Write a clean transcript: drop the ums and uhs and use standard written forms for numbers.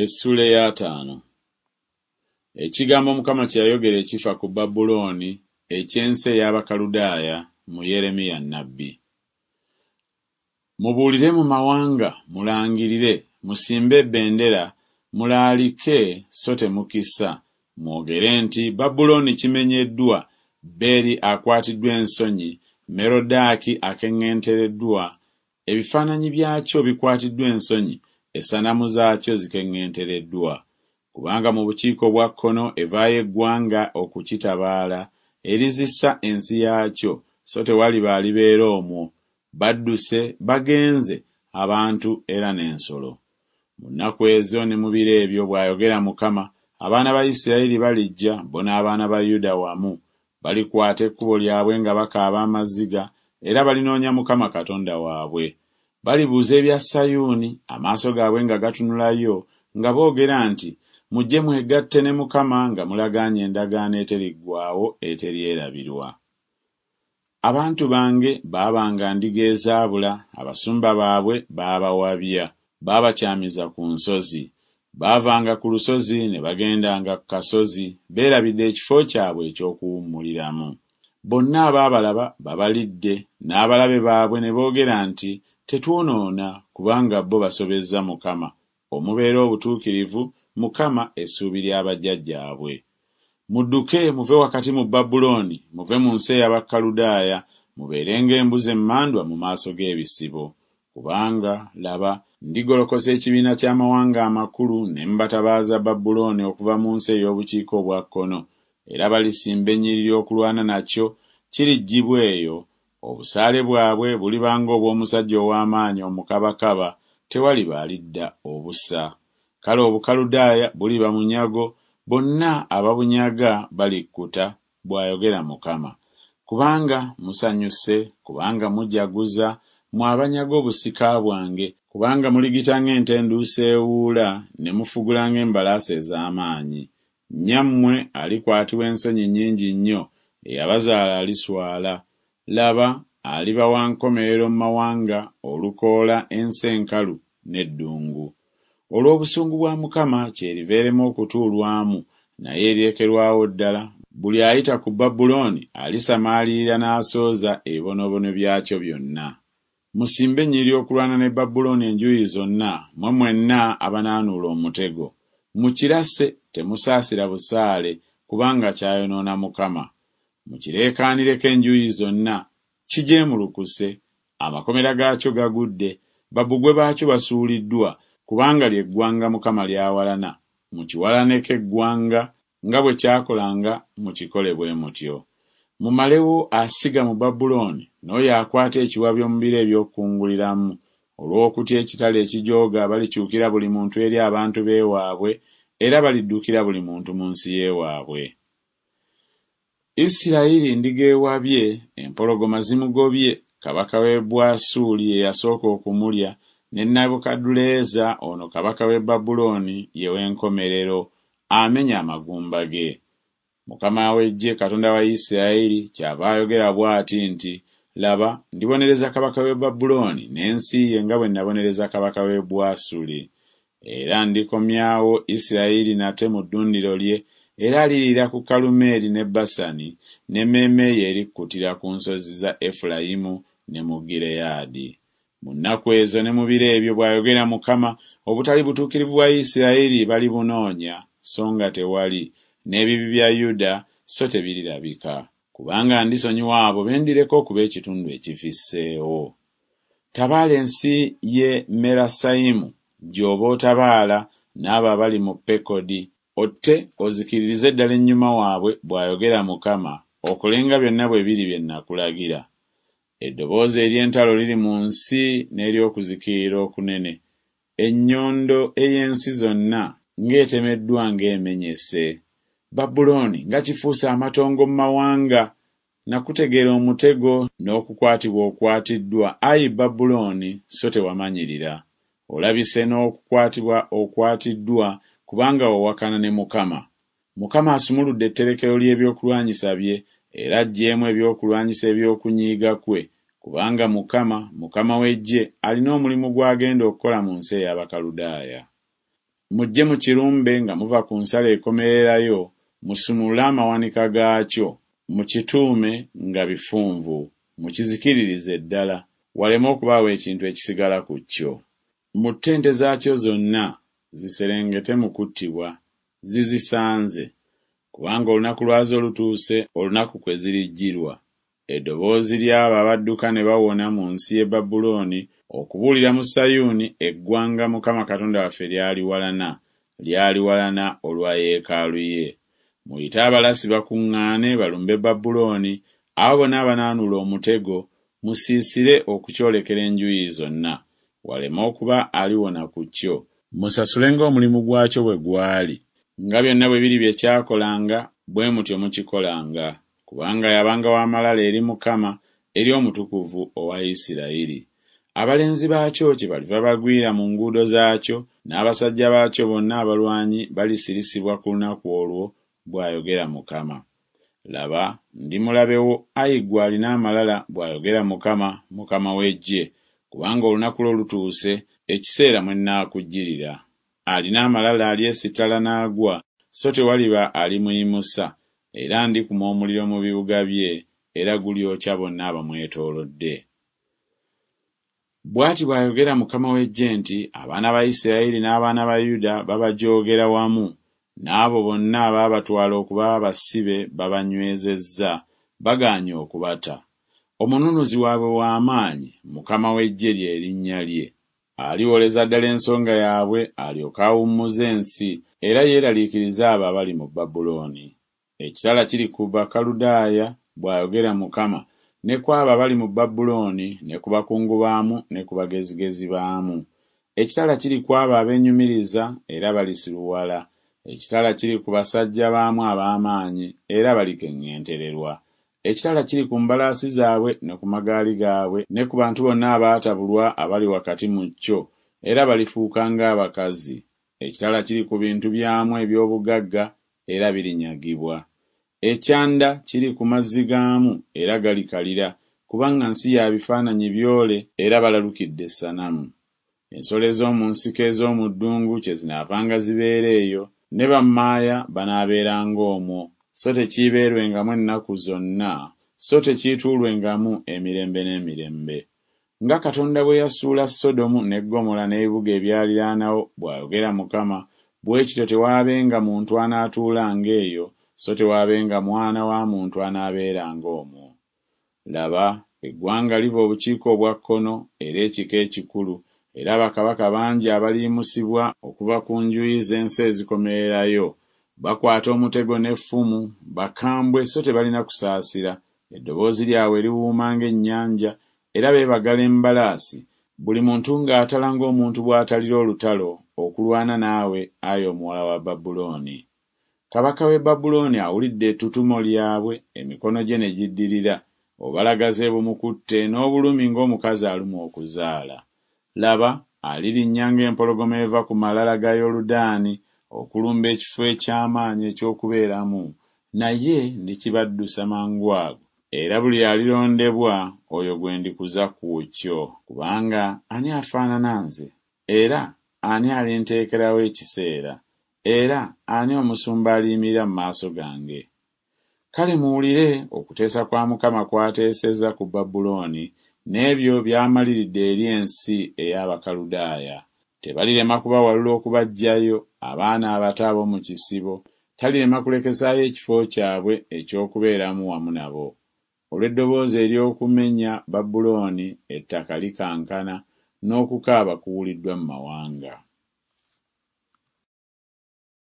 Essuula ey'ataano. Ekigambo Mukama kye yayogera ekifa ku Babulooni, eky'ensi ey'Abakaludaaya, mu Yeremiya nnabbi. Mubuulire mu mawanga, mulangirire, musimbe ebendera, mulaalike so temukisa, mwogere nti Babulooni kimenyeddwa, Beri akwatiddwa ensonyi, Merodaaki akeŋŋentereddwa, Ebifaananyi byakyo bikwatiddwa ensonyi, essanamu zaakyo zikeŋŋentereddwa. Kubanga mu bukiika obwa kkono evaayo eggwanga okukitabaala, erizisa ensi yaakyo, so tewaliba alibeera omwo, badduse, bagenze, abantu era n'ensolo. Mu nnaku ezo ne mu biro ebyo, bw'ayogera Mukama, abaana ba Isiraeri balijja, bo n'abaana ba Yuda wamu, balikwata ekkubo lyabwe nga bakaaba amaziga, era balinoonya Mukama Katonda waabwe. Balibuuza ebya Sayuuni, amaaso gaabwe nga gatunulayo, nga boogera nti Mujje mwegatte ne Mukama nga mulagaanye endagaano eteriggwaawo eteryerabirwa. Abantu bange baabanga ndiga ezaabula, abasumba baabwe baabawabya, baabakyamiza ku nsozi. Baavanga ku lusozi ne bagendanga ku kasozi, beerabidde ekifo kyabwe eky'okuwummuliramu. Bonna abaabalaba babalidde, n'abalabe baabwe ne boogera nti Tetwonoona, kubanga bo basobezza Mukama, omubeera obutuukirivu, Mukama, essuubi lya bajjajjaabwe. Mudduke muve wakati mu Babulooni, muve mu nsi ey'Abakaludaaya, mubeere ng'embuzi emmandwa mu maaso g'ebisibo. Kubanga, laba, ndigolokosa ekibiina ky'amawanga amakulu ne mbatabaaza Babulooni okuva mu nsi ey'obukiika obwa kkono, era balisimba ennyiriri okulwana nakyo, kiriggyibwa eyo, obusaale bwabwe buliba ng'obw'omusajja ow'amaanyi omukabakaba, tewaliba alidda obusa. Kale Obukaludaaya buliba munyago, bonna ababunyaga balikkuta, bw'ayogera Mukama. Kubanga musanyuse, kubanga mujaguza, mmwe abanyaga obusika bwange, kubanga muligita ng'ente enduusi ewuula, ne mufugula ng'embalaasi ez'amaanyi. Nnyammwe alikwatibwa ensonyi nnyingi nnyo, eyabazaala aliswala. Laba, aliba wa nkomerero mu mawanga, olukoola, ensi enkalu, n'eddungu. Olw'obusungu bwa Mukama kyeriva erema okutuulwamu, naye erirekerwawo ddala, buli ayita ku Babulooni alisamaalirira n'asooza ebibonoobono byakyo byonna. Musimbe ennyiriri okulwana ne Babulooni enjuuyi zonna, mmwe mwenna abanaanuula omutego. Mukirase, temusaasira busaale, kubanga kyayonoona Mukama. Mukireekaanireko enjuuyi zonna, kijeemulukuse, amakomera gaakyo gagudde, babbugwe baakyo basuuliddwa, kubanga lye ggwanga Mukama ly'awalana, mukiwalaneko eggwanga, nga bwe kyakolanga mukikole bwe mutyo. Mumalewo asiga mu Babulooni n'oyo akwata ekiwabyo mu biro eby'okukunguliramu. Olw'okutya ekitala ekijooga balikyukira buli muntu eri abantu b'ewaabwe, era baliddukira buli muntu mu nsi y'ewaabwe. Isirayiri ndiga ewabye, empologoma zimugobye, kabaka w'e Bwasuli ye yasooka okumulya, ne Nebukadduleeza ono kabaka w'e Babulooni ye w'enkomerero, amenya amagumba ge. Mukama w'eggye Katonda wa Isirayiri kyava ayogera bw'ati nti, Laba, ndibonereza kabaka w'e Babulooni n'ensi ye nga bwe nabonereza kabaka w'e Bwasuli. Era ndikomyawo Isirayiri nate mu ddundiro lye, era aliriira ku Kalumeeri ne Basani, n'emmeeme ye erikkutira ku nsozi za Efulayimu ne mu Gireyaadi. Mu nnaku ezo ne mu biro ebyo, bw'ayogera Mukama, obutali butuukirivu bwa Isirayiri balibunoonya, so nga tewali, n'ebibi bya Yuda, so tebirirabika. Kubanga ndisonyiwa abo be ndireka okuba ekitundu ekifisseewo. Tabaala ensi y'e Merasayimu gy'oba otabaala n'abo abali mu Pekodi, otte ozikiririze ddala ennyuma waabwe, bw'ayogera Mukama, okole nga byonna bwe biri bye nnakulagira. Eddoboozi ery'entalo liri mu nsi n'ery'okuzikirira okunene, ennyondo ey'ensi zonna ng'etemeddwa ng'emenyese! Babulooni nga kifuuse amatongo mu mawanga! Nakutegera omutego n'okukwatibwa okwatiddwa, ayi Babulooni, so tewamanyirira. Olabise n'okukwatibwa okwatiddwa, kubanga wawakana ne Mukama. Mukama asumuludde etterekero ly'ebyokulwanyisa bye, era aggyeemu ebyokulwanyisa eby'okunyiiga kwe, kubanga Mukama, Mukama w'eggye, alina omulimu gw'agenda okukola mu nsi ey'Abakaludaaya. Mujje mukirumbe nga muva ku nsalo ekomererayo, musumulule amawanika gaakyo, mukituume nga bifunvu, mukizikiririze ddala, waleme okubaawo ekintu ekisigala ku kyo. Mutte ente zaakyo zonna, ziserengete mu kuttibwa. Zizisanze! Kubanga olunaku lwazo lutuuse, olunaku kwe zirijjirwa. Eddoboozi ly'abo abadduka ne bawona mu nsi y'e Babulooni, okubuulira mu Sayuuni eggwanga Mukama Katonda waffe ly'aliwalana, ly'aliwalana olwa yeekaalu ye. Muyite abalasi bakuŋŋaane balumbe Babulooni, abo bonna abanaanuula omutego, musiisire okukyolekera enjuyi zonna, waleme okuba aliwona ku kyo. Musasule ng'omulimu gwakyo bwe gwali, nga byonna bwe biri bye kyakolanga, bwe mutyo mukikolanga, kubanga yabanga wa malala eri Mukama, eri Omutukuvu owa Isirayiri. Abalenzi baakyo kyebaliva bagwira mu nguudo zaakyo, n'abasajja baakyo bonna abalwanyi balisirisibwa ku lunaku olwo, bw'ayogera Mukama. Laba, ndi mulabe wo, ai ggwe alina amalala, bw'ayogera Mukama, Mukama w'eggye, kubanga olunaku lwo lutuuse, ekiseera mwe nnaakujjirira. Alina amalala alyesittala n'agwa, so tewaliba alimuyimusa, era ndikuma omuliro mu bibuga bye, era gulyokya bonna abamwetoolodde. Bw'ati bw'ayogera Mukama w'eggye nti Abaana ba Isiraeri n'abaana ba Yuda babajoogera wamu, n'abo bonna abaabatwala okuba abasibe babanywezezza, bagaanyi okubata. Omununuzi waabwe wa maanyi, Mukama w'eggye lye linnya lye. Aliwoleza ddala ensonga yaabwe alyoke awummuze ensi, era yeeraliikirize abo abali mu Babulooni. Ekitala kiri ku Bakaludaaya, bw'ayogera Mukama, ne ku abo abali mu Babulooni, ne ku bakungu baamu ne ku bagezigezi baamu. Ekitala kiri ku abo abeenyumiriza, era balisiruwala. Ekitala kiri ku basajja baamu ab'amaanyi, era balikeŋŋentererwa. Ekitala kiri ku mbalaasi zaabwe ne ku magaali gaabwe ne ku bantu bonna abaatabulwa abali wakati mu kyo, era balifuuka ng'abakazi. Ekitala kiri ku bintu byamu eby'obugagga, era birinyagibwa. Ekyanda kiri ku mazzi gaamu, era galikalira, kubanga nsi ya bifaananyi byole, era balalukidde essanamu. Ensolo ez'omu nsiko ez'omu ddungu kyezinaavanga zibeera eyo, ne bammaaya banaabeeranga omwo, so tekiibeerwengamu ennaku zonna, so tekiituulwengamu emirembe n'emirembe. Nga Katonda bwe yasuula Sodomu ne Ggomola n'ebibuga ebyaliraanawo, bw'ayogera Mukama, bwe kityo tewaabenga muntu anaatuulanga eyo, so tewaabenga mwana wa muntu anaabeeranga omwo. Laba, eggwanga liva obukiika obwa kkono, era ekika ekikulu, era bakabaka bangi abaliyimusibwa okuva ku njuyi z'ensi ezikomererayo, bakwata omutego n'effumu, bakambwe so tebalina kusaasira, eddoboozi lyabwe liwuuma ng'ennyanja, era beebagala embalaasi, buli muntu ng'atala ng'omuntu bw'atalira olutalo, okulwana naawe, ayi omuwala wa Babulooni. Kabaka w'e Babulooni awulidde ettutumo lyabwe, emikono gye ne giddirira, obubalagaze bumukutte n'obulumi ng'omukazi alumwa okuzaala. Laba, alirinnya ng'empologoma eva ku malala ga Yoludaani okulumba ekifo eky'amaanyi eky'okubeeramu, naye ndikibaddusa mangu ago, era buli alirondebwa, oyo gwe ndikuza ku kyo. Kubanga ani afaanana nze? Era ani alinteekerawo ekiseera? Era ani omusumba aliyimirira mu maaso gange? Kale muwulire okuteesa kwa Mukama kw'ateesezza ku Babulooni, n'ebyo by'amaliridde eri ensi ey'Abakaludaaya. Tebalirema kubawalula okubaggyayo, abaana abato ab'omu kisibo, talirema kulekesaayo ekifo kyabwe eky'okubeeramu wamu nabo. Olw'eddoboozi ery'okumenya Babulooni ettaka likankana, n'okukaaba kuwuliddwa mu mawanga.